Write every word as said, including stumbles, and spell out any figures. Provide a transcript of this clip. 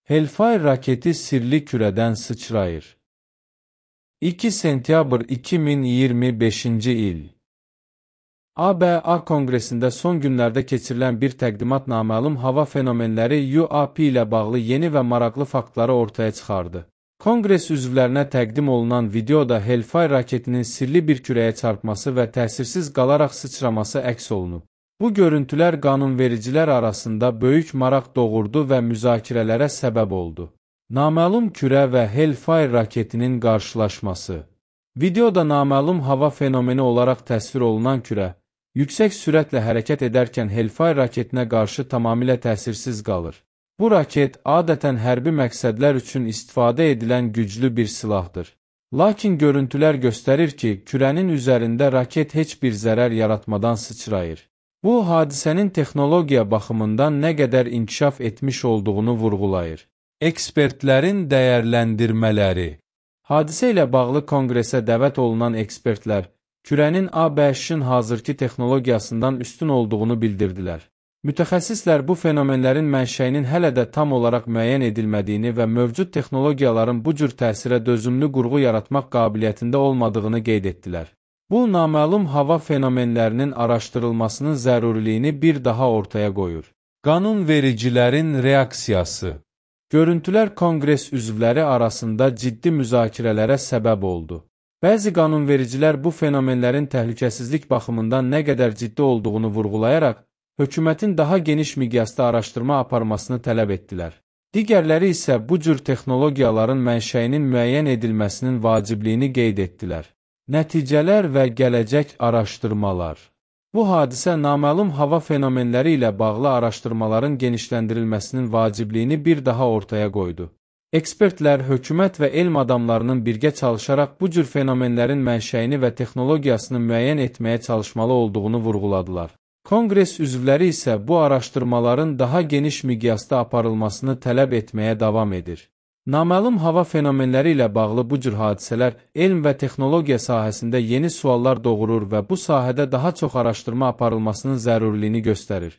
Hellfire raketi sirli kürədən sıçrayır. iki sentyabr iki min iyirmi beşinci il. A B A Konqresində son günlərdə keçirilən bir təqdimat naməlum hava fenomenləri U A P ilə bağlı yeni və maraqlı faktları ortaya çıxardı. Konqres üzvlərinə təqdim olunan videoda Hellfire raketinin sirli bir kürəyə çarpması və təsirsiz qalaraq sıçraması əks olunub. Bu görüntülər qanunvericilər arasında böyük maraq doğurdu və müzakirələrə səbəb oldu. Naməlum kürə və Hellfire raketinin qarşılaşması. Videoda naməlum hava fenomeni olaraq təsvir olunan kürə, yüksək sürətlə hərəkət edərkən Hellfire raketinə qarşı tamamilə təsirsiz qalır. Bu raket adətən hərbi məqsədlər üçün istifadə edilən güclü bir silahdır. Lakin görüntülər göstərir ki, kürənin üzərində raket heç bir zərər yaratmadan sıçrayır. Bu, hadisənin texnologiya baxımından nə qədər inkişaf etmiş olduğunu vurğulayır. Ekspertlərin dəyərləndirmələri. Hadisə ilə bağlı konqresə dəvət olunan ekspertlər, kürənin A B Ş-in hazırki texnologiyasından üstün olduğunu bildirdilər. Mütəxəssislər bu fenomenlərin mənşəyinin hələ də tam olaraq müəyyən edilmədiyini və mövcud texnologiyaların bu cür təsirə dözümlü qurğu yaratmaq qabiliyyətində olmadığını qeyd etdilər. Bu, naməlum hava fenomenlərinin araşdırılmasının zəruriliyini bir daha ortaya qoyur. Qanunvericilərin reaksiyası. Görüntülər konqres üzvləri arasında ciddi müzakirələrə səbəb oldu. Bəzi qanunvericilər bu fenomenlərin təhlükəsizlik baxımından nə qədər ciddi olduğunu vurğulayaraq, hökumətin daha geniş miqyasda araşdırma aparmasını tələb etdilər. Digərləri isə bu cür texnologiyaların mənşəyinin müəyyən edilməsinin vacibliyini qeyd etdilər. Nəticələr və gələcək araşdırmalar. Bu hadisə naməlum hava fenomenləri ilə bağlı araşdırmaların genişləndirilməsinin vacibliyini bir daha ortaya qoydu. Ekspertlər, hökumət və elm adamlarının birgə çalışaraq bu cür fenomenlərin mənşəyini və texnologiyasını müəyyən etməyə çalışmalı olduğunu vurğuladılar. Konqres üzvləri isə bu araşdırmaların daha geniş miqyasda aparılmasını tələb etməyə davam edir. Naməlum hava fenomenləri ilə bağlı bu cür hadisələr elm və texnologiya sahəsində yeni suallar doğurur və bu sahədə daha çox araşdırma aparılmasının zəruriliyini göstərir.